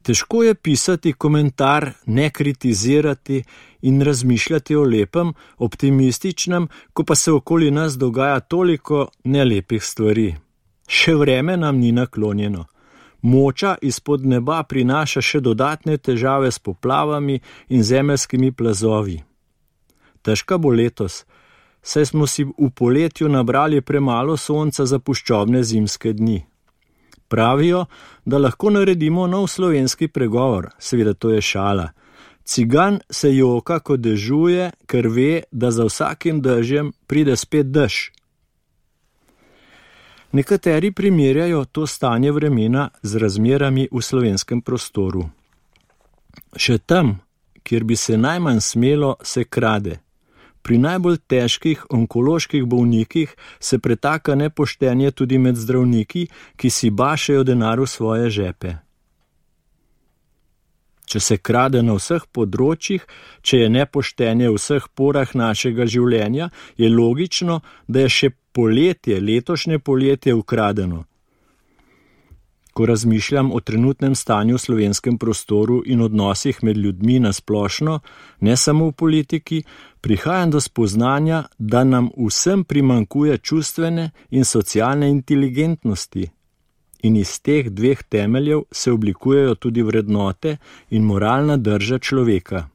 Težko je pisati komentar, ne kritizirati in razmišljati o lepem, optimističnem, ko pa se okoli nas dogaja toliko nelepih stvari. Še vreme nam ni naklonjeno. Moča izpod neba prinaša še dodatne težave s poplavami in zemeljskimi plazovi. Težka bo letos, saj smo si v poletju nabrali premalo sonca za puščobne zimske dni. Pravijo, da lahko naredimo nov slovenski pregovor, seveda to je šala. Cigan se joka, ko dežuje, ker ve, da za vsakim dežjem pride spet dež. Nekateri primerjajo to stanje vremena z razmerami v slovenskem prostoru. Še tam, kjer bi se najmanj smelo, se krade. Pri najbolj težkih onkoloških bolnikih se pretaka nepoštenje tudi med zdravniki, ki si bašejo denar v svoje žepe. Če se krade na vseh področjih, če je nepoštenje v vseh porah našega življenja, je logično, da je še poletje, letošnje poletje ukradeno. Ko razmišljam o trenutnem stanju v slovenskem prostoru in odnosih med ljudmi na splošno, ne samo v politiki, prihajam do spoznanja, da nam vsem primanjkuje čustvene in socialne inteligentnosti. In iz teh dveh temeljev se oblikujejo tudi vrednote in moralna drža človeka.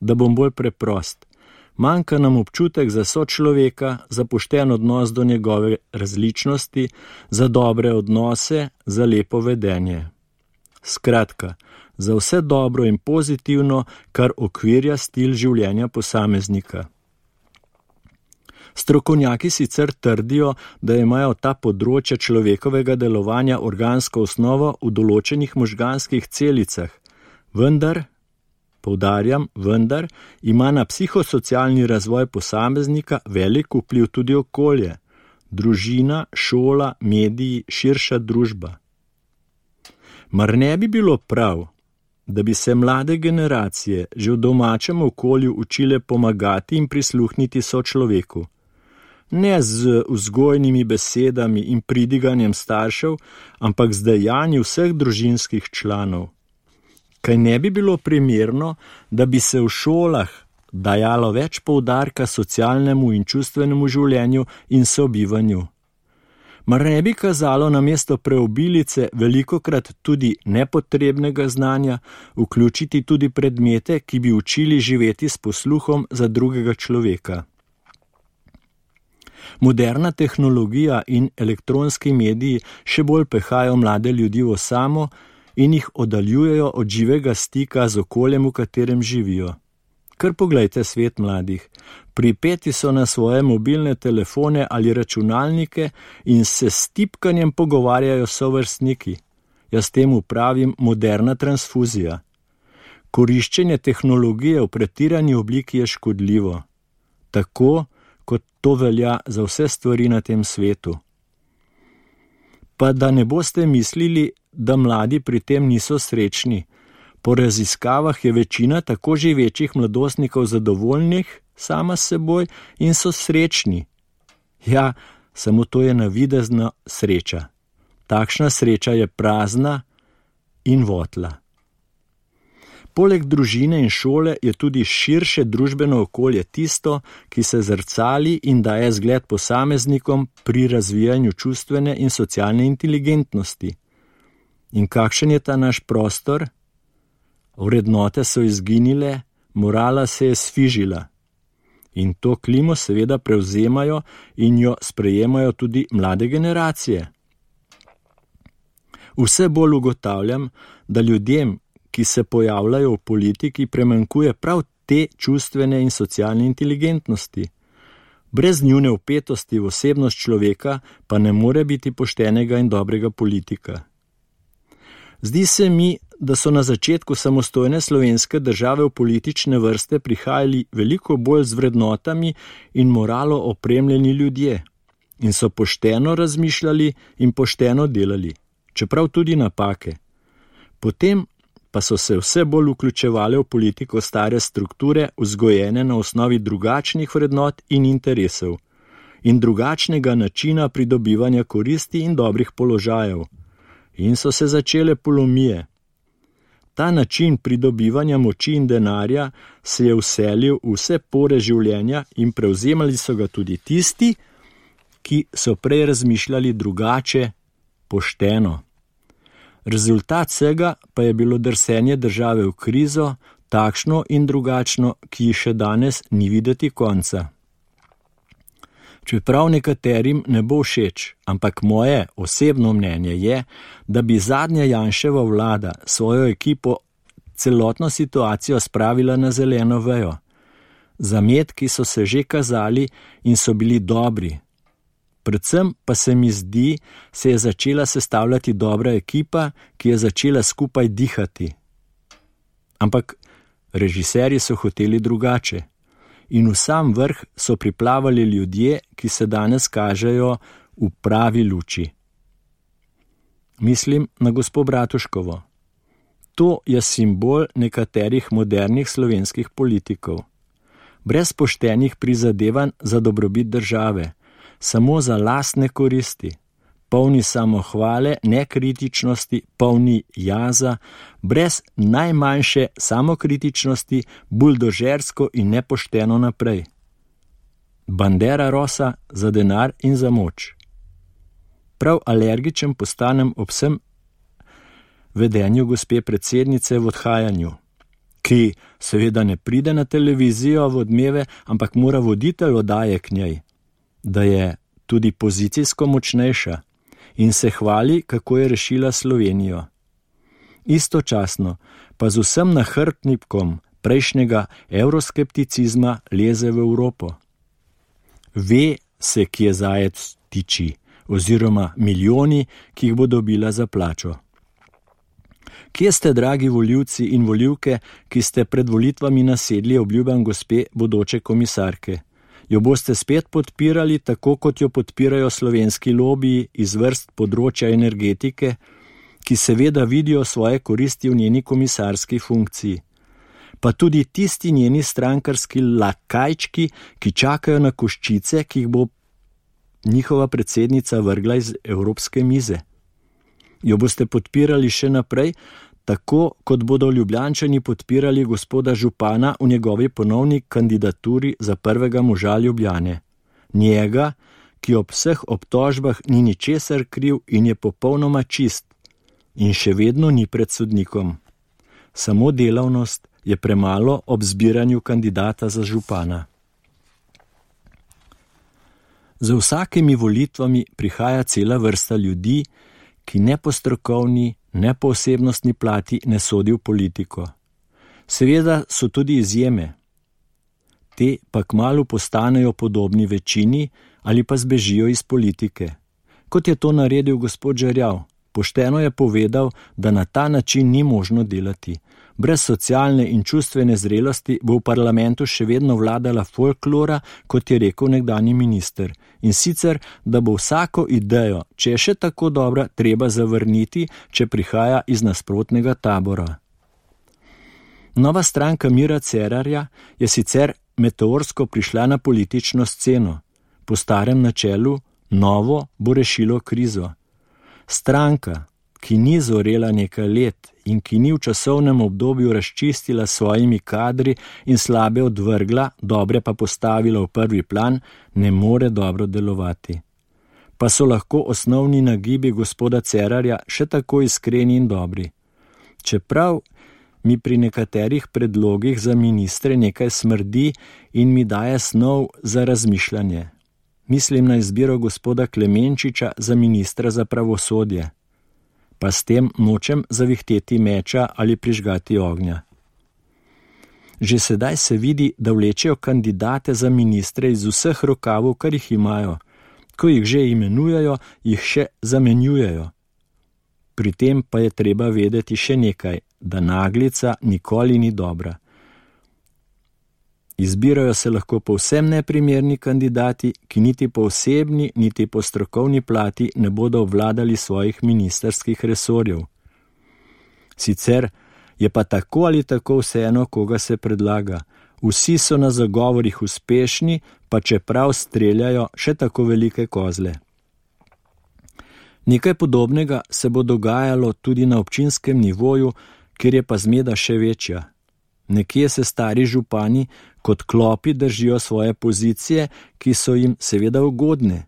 Da bom bolj preprost. Manjka nam občutek za sočloveka, za pošten odnos do njegove različnosti, za dobre odnose, za lepo vedenje. Skratka, za vse dobro in pozitivno, kar okvirja stil življenja posameznika. Strokovnjaki sicer trdijo, da imajo ta področja človekovega delovanja organsko osnovo v določenih možganskih celicah, vendar, poudarjam, ima na psihosocialni razvoj posameznika velik vpliv tudi okolje, družina, šola, mediji, širša družba. Mar ne bi bilo prav, da bi se mlade generacije že v domačem okolju učile pomagati in prisluhniti sočloveku? Ne z vzgojnimi besedami in pridiganjem staršev, ampak z dejanji vseh družinskih članov. Kaj ne bi bilo primerno, da bi se v šolah dajalo več poudarka socialnemu in čustvenemu življenju in sobivanju? Mar ne bi kazalo namesto preobilice velikokrat tudi nepotrebnega znanja vključiti tudi predmete, ki bi učili živeti s posluhom za drugega človeka? Moderna tehnologija in elektronski mediji še bolj pehajo mlade ljudi v osamo in jih oddaljujejo od živega stika z okoljem, v katerem živijo. Kar poglejte svet mladih. Pripeti so na svoje mobilne telefone ali računalnike in se s tipkanjem pogovarjajo s sovrstniki. Jaz temu pravim moderna transfuzija. Koriščenje tehnologije v pretirani obliki je škodljivo. Tako, kot to velja za vse stvari na tem svetu. Pa da ne boste mislili, da mladi pri tem niso srečni. Po raziskavah je večina tako živečih mladostnikov zadovoljnih sama s seboj in so srečni. Ja, samo to je navidezna sreča. Takšna sreča je prazna in votla. Poleg družine in šole je tudi širše družbeno okolje tisto, ki se zrcali in daje zgled posameznikom pri razvijanju čustvene in socialne inteligentnosti. In kakšen je ta naš prostor? Vrednote so izginile, morala se je sfižila. In to klimo seveda prevzemajo in jo sprejemajo tudi mlade generacije. Vse bolj ugotavljam, da ljudem, ki se pojavljajo v politiki, primanjkuje prav te čustvene in socialne inteligentnosti. Brez njune vpetosti v osebnost človeka pa ne more biti poštenega in dobrega politika. Zdi se mi, da so na začetku samostojne slovenske države v politične vrste prihajali veliko bolj z vrednotami in moralo opremljeni ljudje in so pošteno razmišljali in pošteno delali, čeprav tudi napake. Potem pa so se vse bolj vključevale v politiko stare strukture, vzgojene na osnovi drugačnih vrednot in interesov in drugačnega načina pridobivanja koristi in dobrih položajev. In so se začele polomije. Ta način pridobivanja moči in denarja se je vselil v vse pore življenja in prevzemali so ga tudi tisti, ki so prej razmišljali drugače, pošteno. Rezultat vsega pa je bilo drsenje države v krizo, takšno in drugačno, ki ji še danes ni videti konca. Čeprav nekaterim ne bo všeč, ampak moje osebno mnenje je, da bi zadnja Janševa vlada svojo ekipo celotno situacijo spravila na zeleno vejo. Zametki so se že kazali in so bili dobri. Predvsem pa se mi zdi, se je začela sestavljati dobra ekipa, ki je začela skupaj dihati. Ampak režiserji so hoteli drugače. In v sam vrh so priplavali ljudje, ki se danes kažejo v pravi luči. Mislim na gospo Bratuškovo. To je simbol nekaterih modernih slovenskih politikov. Brez poštenih prizadevanj za dobrobit države, samo za lastne koristi, polni samohvale, nekritičnosti, polni jaza, brez najmanjše samokritičnosti, buldožersko in nepošteno naprej. Bandera rosa za denar in za moč. Prav alergičen postanem ob vsem vedenju gospe predsednice v odhajanju, ki seveda ne pride na televizijo v Odmeve, ampak mora voditelj oddaje k njej, da je tudi pozicijsko močnejša in se hvali, kako je rešila Slovenijo. Istočasno pa z vsem nahrbtnikom prejšnjega evroskepticizma leze v Evropo. Ve se, kje zajec tiči, oziroma milijoni, ki jih bo dobila za plačo. Kje ste, dragi volivci in volivke, ki ste pred volitvami nasedli obljubam gospe bodoče komisarke? Jo boste spet podpirali, tako kot jo podpirajo slovenski lobiji iz vrst področja energetike, ki seveda vidijo svoje koristi v njeni komisarski funkciji. Pa tudi tisti njeni strankarski lakajčki, ki čakajo na koščice, ki jih bo njihova predsednica vrgla iz evropske mize. Jo boste podpirali še naprej, tako kot bodo Ljubljančani podpirali gospoda župana v njegovi ponovni kandidaturi za prvega moža Ljubljane. Njega, ki ob vseh obtožbah ni ničesar kriv in je popolnoma čist in še vedno ni pred sodnikom. Samo delavnost je premalo ob zbiranju kandidata za župana. Za vsakimi volitvami prihaja cela vrsta ljudi, ki ne po strokovni, ne po osebnostni plati ne sodi v politiko. Seveda so tudi izjeme. Te pa kmalu postanejo podobni večini ali pa zbežijo iz politike. Kot je to naredil gospod Žerjav, pošteno je povedal, da na ta način ni možno delati. Brez socialne in čustvene zrelosti bo v parlamentu še vedno vladala folklora, kot je rekel nekdanji minister. In sicer, da bo vsako idejo, če je še tako dobra, treba zavrniti, če prihaja iz nasprotnega tabora. Nova stranka Mira Cerarja je sicer meteorsko prišla na politično sceno. Po starem načelu, novo bo rešilo krizo. Stranka, ki ni zorela nekaj let in ki ni v časovnem obdobju razčistila svojimi kadri in slabe odvrgla, dobre pa postavila v prvi plan, ne more dobro delovati. Pa so lahko osnovni nagibi gospoda Cerarja še tako iskreni in dobri. Čeprav mi pri nekaterih predlogih za ministre nekaj smrdi in mi daje snov za razmišljanje. Mislim na izbiro gospoda Klemenčiča za ministra za pravosodje. Pa s tem nočem zavihteti meča ali prižgati ognja. Že sedaj se vidi, da vlečejo kandidate za ministre iz vseh rokavov, kar jih imajo. Ko jih že imenujejo, jih še zamenjujejo. Pri tem pa je treba vedeti še nekaj, da naglica nikoli ni dobra. Izbirajo se lahko povsem neprimerni kandidati, ki niti po osebni, niti po strokovni plati ne bodo obvladali svojih ministrskih resorjev. Sicer je pa tako ali tako vseeno, koga se predlaga. Vsi so na zagovorih uspešni, pa čeprav streljajo še tako velike kozle. Nekaj podobnega se bo dogajalo tudi na občinskem nivoju, kjer je pa zmeda še večja. Nekje se stari župani kot klopi držijo svoje pozicije, ki so jim seveda ugodne.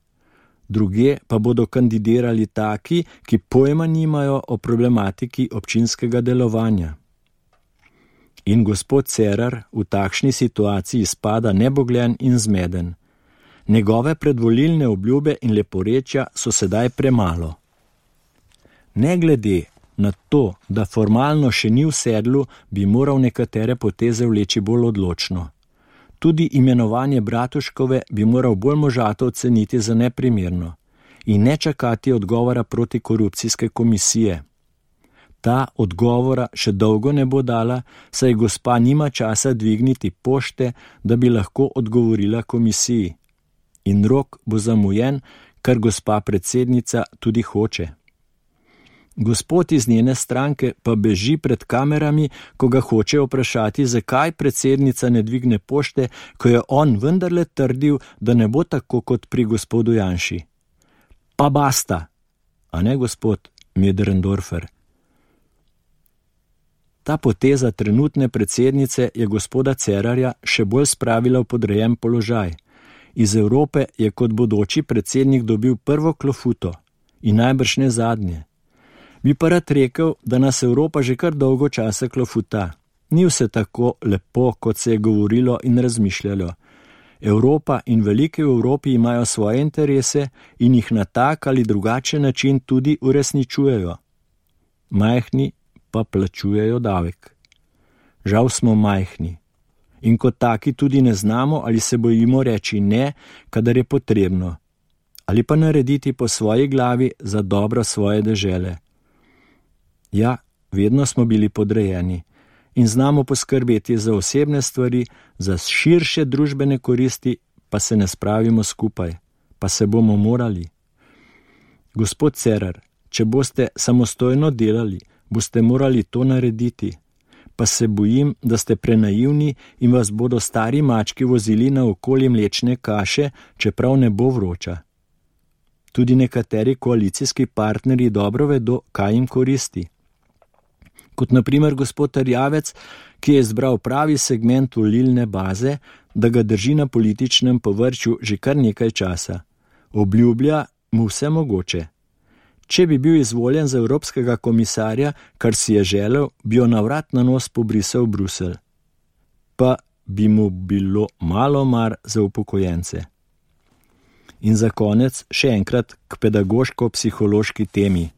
Druge pa bodo kandidirali taki, ki pojma nimajo o problematiki občinskega delovanja. In gospod Cerar v takšni situaciji spada nebogljen in zmeden. Njegove predvolilne obljube in leporečja so sedaj premalo. Ne glede na to, da formalno še ni v sedlu, bi moral nekatere poteze vleči bolj odločno. Tudi imenovanje Bratuškove bi moral bolj možato oceniti za neprimerno in ne čakati odgovora protikorupcijske komisije. Ta odgovora še dolgo ne bo dala, saj gospa nima časa dvigniti pošte, da bi lahko odgovorila komisiji. In rok bo zamujen, kar gospa predsednica tudi hoče. Gospod iz njene stranke pa beži pred kamerami, ko ga hoče vprašati, zakaj predsednica ne dvigne pošte, ko je on vendarle trdil, da ne bo tako kot pri gospodu Janši. Pa basta, a ne gospod Möderndorfer? Ta poteza trenutne predsednice je gospoda Cerarja še bolj spravila v podrejen položaj. Iz Evrope je kot bodoči predsednik dobil prvo klofuto in najbrž ne zadnje. Bi pa rad rekel, da nas Evropa že kar dolgo časa klofuta. Ni vse tako lepo, kot se je govorilo in razmišljalo. Evropa in velike v Evropi imajo svoje interese in jih na tak ali drugačen način tudi uresničujejo. Majhni pa plačujejo davek. Žal smo majhni. In kot taki tudi ne znamo ali se bojimo reči ne, kadar je potrebno. Ali pa narediti po svoji glavi za dobro svoje dežele. Ja, vedno smo bili podrejeni in znamo poskrbeti za osebne stvari, za širše družbene koristi, pa se ne spravimo skupaj, pa se bomo morali. Gospod Cerar, če boste samostojno delali, boste morali to narediti, pa se bojim, da ste prenaivni in vas bodo stari mački vozili na okoli mlečne kaše, čeprav ne bo vroča. Tudi nekateri koalicijski partnerji dobro vedo, kaj jim koristi. Kot na primer gospod Erjavec, ki je izbral pravi segment volilne baze, da ga drži na političnem površju že kar nekaj časa. Obljublja mu vse mogoče. Če bi bil izvoljen za evropskega komisarja, kar si je želel, bi jo na vrat na nos pobrisal v Bruselj. Pa bi mu bilo malo mar za upokojence. In za konec še enkrat k pedagoško-psihološki temi.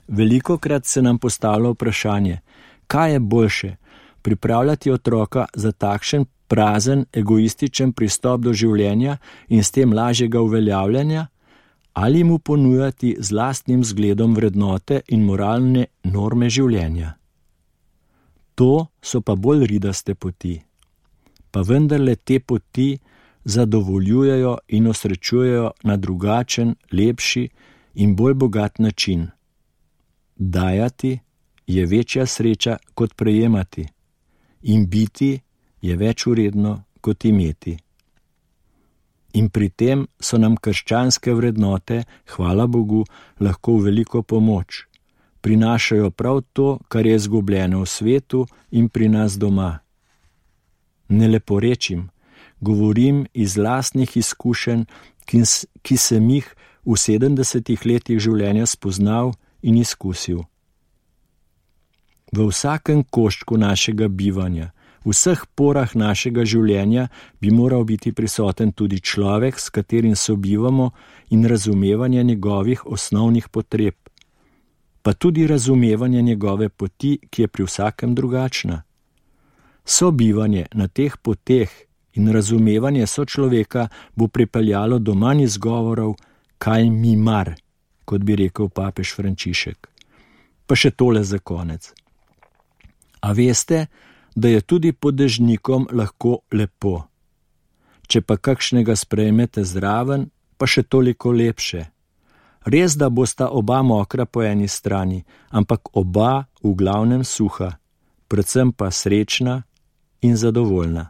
Velikokrat se nam postavlja vprašanje, kaj je boljše, pripravljati otroka za takšen prazen, egoističen pristop do življenja in s tem lažjega uveljavljanja, ali mu ponujati z lastnim zgledom vrednote in moralne norme življenja. To so pa bolj ridaste poti. Pa vendarle te poti zadovoljujejo in osrečujejo na drugačen, lepši in bolj bogat način. Dajati je večja sreča kot prejemati in biti je več vredno kot imeti. In pri tem so nam krščanske vrednote, hvala Bogu, lahko v veliko pomoč. Prinašajo prav to, kar je izgubljeno v svetu in pri nas doma. Ne leporečim, govorim iz lastnih izkušenj, ki sem jih v 70 letih življenja spoznal in izkusil. V vsakem koščku našega bivanja, v vseh porah našega življenja bi moral biti prisoten tudi človek, s katerim sobivamo, in razumevanje njegovih osnovnih potreb, pa tudi razumevanje njegove poti, ki je pri vsakem drugačna. Sobivanje na teh poteh in razumevanje sočloveka bo pripeljalo do manj izgovorov, kaj mi mar, kot bi rekel papež Frančišek. Pa še tole za konec. A veste, da je tudi podežnikom lahko lepo. Če pa kakšnega sprejmete zraven, pa še toliko lepše. Res, da bosta oba mokra po eni strani, ampak oba v glavnem suha, predvsem pa srečna in zadovoljna.